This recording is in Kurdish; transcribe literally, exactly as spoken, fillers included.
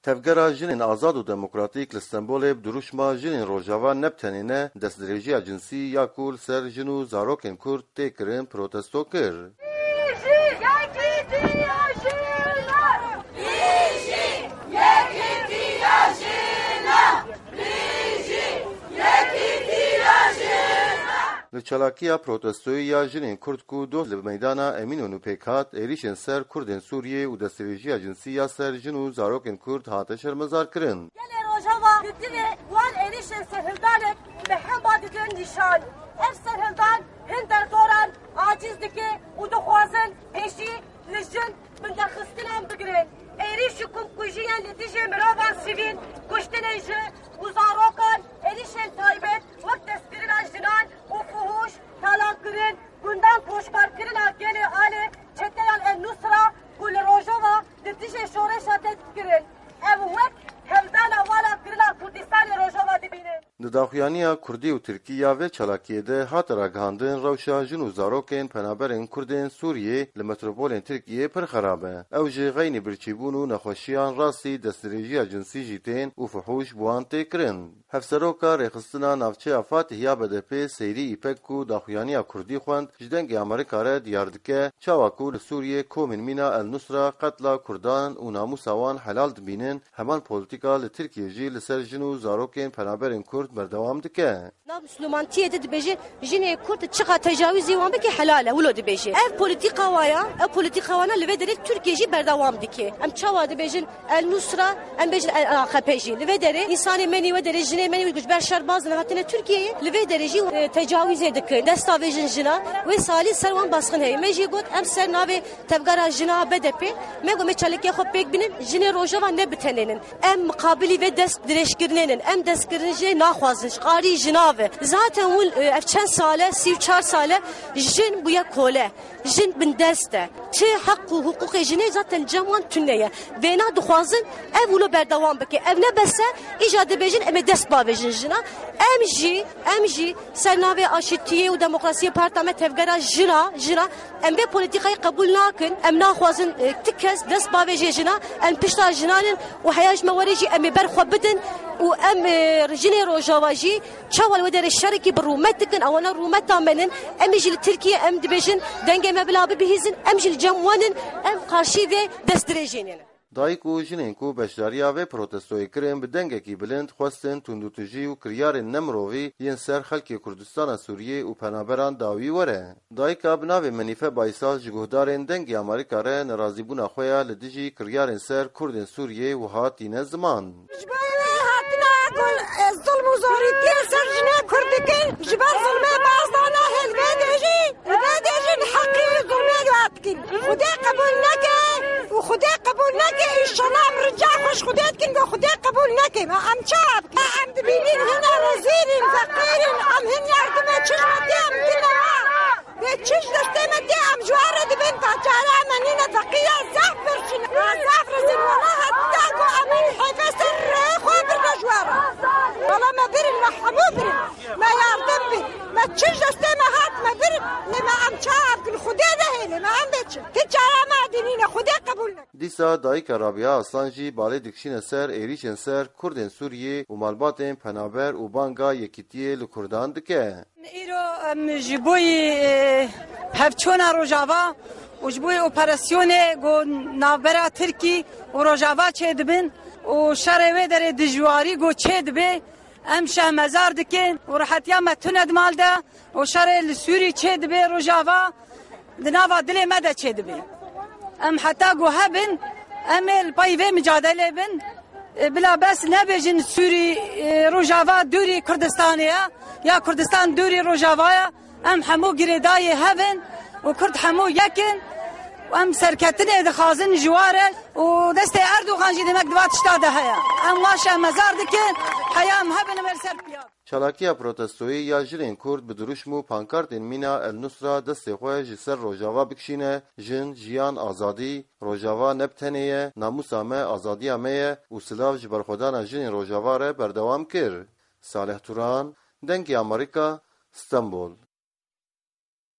Tevgera Jinên Azad û Demokratîk li Stenbolê bi dirûşma Jinên Rojava ne bi tenê ne, destdirêjiya cinsî ya ku li ser jin û zarokên Kurd tê kirin protesto kir. Li çalakiya protestoyê ya jinên Kurd ku doh li meydana Emînonû pêk hat, êrîşên ser Kurdên Sûriyê û destdirêjiya cinsî ya ser jin û zarokên Kurd hate şermezarkirin. Gelê Rojava li dilê wan êrîşên serhildanê bi hemba didin nîşan. Ev serhildan hin derdoran aciz dike û dixwazin pêşî li jin binderxistinan bigirin. Êrîş û komkujiyan li dijî mirovan sivîl, kuştinên jin û zarokan, êrîşên taybet wek destkirina jinan û fuhûş, talankirin, gundan koçberkirina gelê alê çeteyan El Nusra ku li Rojava li dijî şoreşa dest kirin. Ev wek hevdana vala kirina Kurdistanê Rojava dibînin. Di daxuyaniya Kurdî û Tirkî ya vê çalakiyê de hate ragihandin rewşa jin û zarokên penaberên Kurdên Sûriyê li metropolên Tirkiyê pir xerab e. Ew ji xeynî birçîbûn û nexweşiyan rastî destdirêjiya cinsî jî tên û fuhûş bi wan tê kirin. Hevseroka Rêxistina Navçeya Fatih ya B D P Seyrî Îpek ku daxuyaniya Kurdî xwend ji Dengê Amerîka re diyar dike, çawa ku li Sûriyê komên mîna El Nusra qetla Kurdan û namûsa wan helal dibînin, heman polîtîka li Tirkiyê jî li ser jin û zarokên penaberên Kurd berdewam dike. Nav Misilmantiyê de dibêje, jinê Kurd çiqa tecawizê wan bike helal e, wilo dibêje. Ev polîtîka wa ya, ev polîtîka wana li vê derê Tirkiye jî berdewam dike. Em çawa dibêjin El Nusra, em bêjin El A K P jî. Li vê derê însanê me nî wê derê, jinê me nî wê ji ber şer baz ne hatine Tirkiyeyê. Li vê derê jî, e, tecawizê dikin. Desta vê jin jina, wê salî ser wan basxin heye. Me jî got, em ser navê Tevgera jina B D P, me got me çalakê xwe pêk bînin, jinê Rojava ne bi tenê nin. Em miqabilî vê dest dirêjkirinê nin. Em destkirin jê naxwazin, ji qarî jina ve. Zaten hûn, e, ev çend sal e, sî û çar sal e, jin bûye kole. Jin bindest e. Çi heq û hiqûqê jinê zaten cem wan tune ye. Vêna dixwazin ev wilo berdewam bike. Ev ne bes e, îja dibêjin em ê dest bavêjin jina. Em jî, em jî ser navê aşîtiyê û demokrasiyê parta me tevgera jina, jina, em vê polîtîkayê qebûl nakin. Em naxwazin, e, ti kes dest bavêje jina. Em pişta jinan in û heya ji me were jî em ê ber xwe bidin û em, e, jinê Rojava jî çawa li wê derê şerekî bi rûmet dikin. Ewana rûmeta me nin. Em ê jî li Tirkiye em dibêjin dengê me bila bibihîzin. Em jî li cem wan in. Em qarşî vê destdirêjê ne. Dayik û jinên ku beşdariya vê protestoyê kirin, bi dengekî bilind xwestin tundûtijî û kiryarên nemirovî yên ser xelkê Kurdistana Sûriyê û penaberan dawî were. Dayika bi navê Menîfe Baysal ji guhdarên Dengê Amerîka re nerazîbûna xwe ya li dijî kiryarên ser Kurdên Sûriyê wiha tîne ziman. Ji bo wê hatina ku, e, zilm û zorîtiyê ser jinê Kurd dikin, ji ber zilmê bazdana hê li vê dê jî, li vê dê jî li heqî zilmê dihat dikin. Xwedê qebûl neke û Xwedê qebûl neke, înşallah em rica xwe ji Xwedê dikin ku Xwedê qebûl neke. Ma em çawa bikin? Ma em dibînin hine rezîl in, feqîr in, em hin yardimê çi ji me tê em dine wa. Wê çi ji destê me tê em ji wan re dibin, ta çare me nîne, feqîra zaf birçî ne. Zaf rezîl, wela heta ku em hin hêfê ser rê xwe birine ji wan re. Wela me birin, me hemû birin. Me yardim bî. Me çi ji destê me hat me birin. Lê me em çawa bikin? Xwedê nehêle, me em bê çi? Ti çare me dî nîne, Xwedê qebûl neke. Dîsa dayika Rabia Aslan jî balê dikişîne ser êrîşên ser Kurdên Sûriyê û malbatên penaber û banga yekîtiyê li Kurdan dike. Îro em ji bo yî, e, hevçûna Rojava û ji bo yî operasyonê ku navbera Tirkî û Rojava çêdibin û şerê wê derê dijwarî ku çêdibe, em şermezar dikin û rehetiya me tune di mal de û şerê li Sûrî çêdibe Rojava di nava dilê me de çêdibe. Em heta ku hebin, em ê li pey vê micadelê bin. E, bila bes nebêjin Sûrî, e, Rojava dûrî Kurdistanê ye, ya Kurdistan dûrî Rojava ye. Em hemû girêdayê hev in û Kurd hemû yek in û em serketinê dixwazin ji wa re û destê Erdogan jî demek di va tişta de heye. Em wa şermezar dikin, heya em hebin em ê li ser piya. Çalakiya protestoyê ya jinên Kurd bi dirûşm û pankartên mîna El Nusra destê xwe ji ser Rojava bikişîne, jin, jiyan, azadî, Rojava ne bi tenê ye, namûsa me, azadiya me ye û silav ji berxwedana jinên Rojava re berdewam kir. Salih Turan, Dengê Amerîka, Stenbol.